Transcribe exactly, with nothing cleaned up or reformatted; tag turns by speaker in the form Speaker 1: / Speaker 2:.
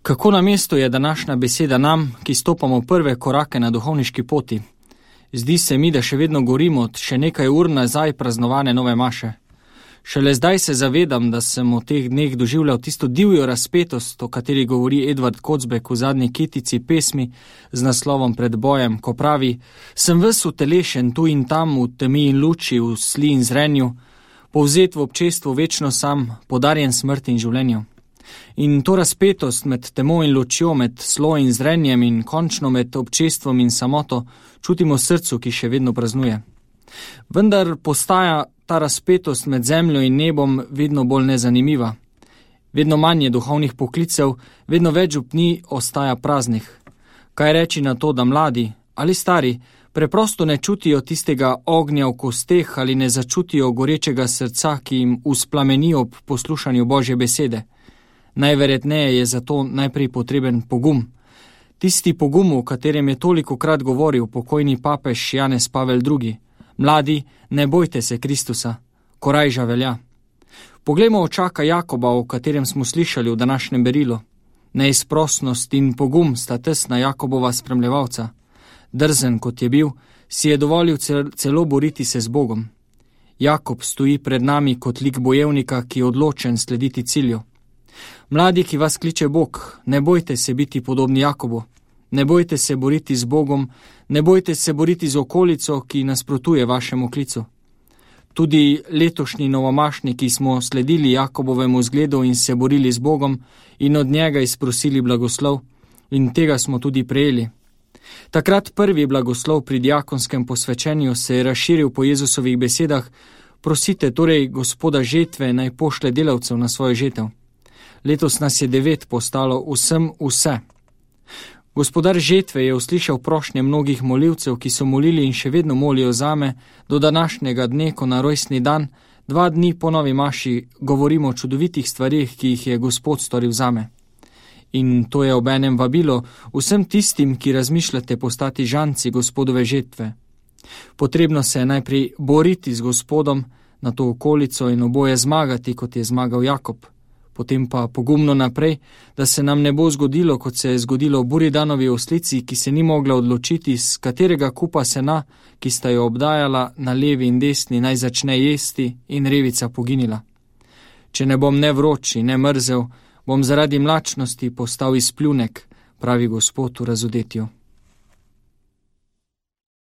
Speaker 1: Kako na mestu je današnja beseda nam, ki stopamo prve korake na duhovniški poti. Zdi se mi, da še vedno gorimo od še nekaj ur nazaj praznovane nove maše. Šele zdaj se zavedam, da sem v teh dneh doživljal tisto divjo razpetost, o kateri govori Edvard Kocbek v zadnji kitici pesmi z naslovom Pred bojem, ko pravi: sem ves utelešen tu in tam, v temi in luči, v sli in zrenju, povzet v občestvu večno sam, podarjen smrti in življenju. In to razpetost med temo in lučjo, med slo in zrenjem in končno med občestvom in samoto čutimo v srcu, ki še vedno praznuje. Vendar postaja ta razpetost med zemljo in nebom vedno bolj nezanimiva. Vedno manj je duhovnih poklicev, vedno več upni ostaja praznih. Kaj reči na to, da mladi ali stari preprosto ne čutijo tistega ognja v kosteh ali ne začutijo gorečega srca, ki jim vzplameni ob poslušanju Božje besede? Najverjetneje je zato najprej potreben pogum. Tisti pogum, o katerem je tolikokrat govoril pokojni papež Janez Pavel drugi. Mladi, ne bojte se Kristusa, korajža velja. Poglejmo očaka Jakoba, o katerem smo slišali v današnjem berilu. Neizprosnost in pogum sta tesna Jakobova spremljevalca. Drzen, kot je bil, si je dovolil celo boriti se z Bogom. Jakob stoji pred nami kot lik bojevnika, ki je odločen slediti cilju. Mladi, ki vas kliče Bog, ne bojte se biti podobni Jakobu. Ne bojte se boriti z Bogom, ne bojte se boriti z okolico, ki nasprotuje vašemu klicu. Tudi letošnji novomašniki smo sledili Jakobovemu zgledu in se borili z Bogom in od njega izprosili blagoslov, in tega smo tudi prejeli. Takrat prvi blagoslov pri diakonskem posvečenju se je razširil po Jezusovih besedah: prosite torej Gospoda žetve, naj pošlje delavcev na svojo žetev. Letos nas je devet postalo vsem vse. Gospodar žetve je uslišal prošnje mnogih molilcev, ki so molili in še vedno molijo zame, do današnjega dne, ko na rojstni dan, dva dni po novi maši, govorimo o čudovitih stvarih, ki jih je Gospod storil zame. In to je obenem vabilo vsem tistim, ki razmišljate postati žanci Gospodove žetve. Potrebno se je najprej boriti z Gospodom na to okolico in oboje zmagati, kot je zmagal Jakob. Potem pa pogumno naprej, da se nam ne bo zgodilo, kot se je zgodilo Buridanovi oslici, ki se ni mogla odločiti, z katerega kupa sena, ki sta jo obdajala na levi in desni, naj začne jesti, in revica poginila. Če ne bom ne vroči, ne mrzel, bom zaradi mlačnosti postal izpljunek, pravi Gospod v razodetju.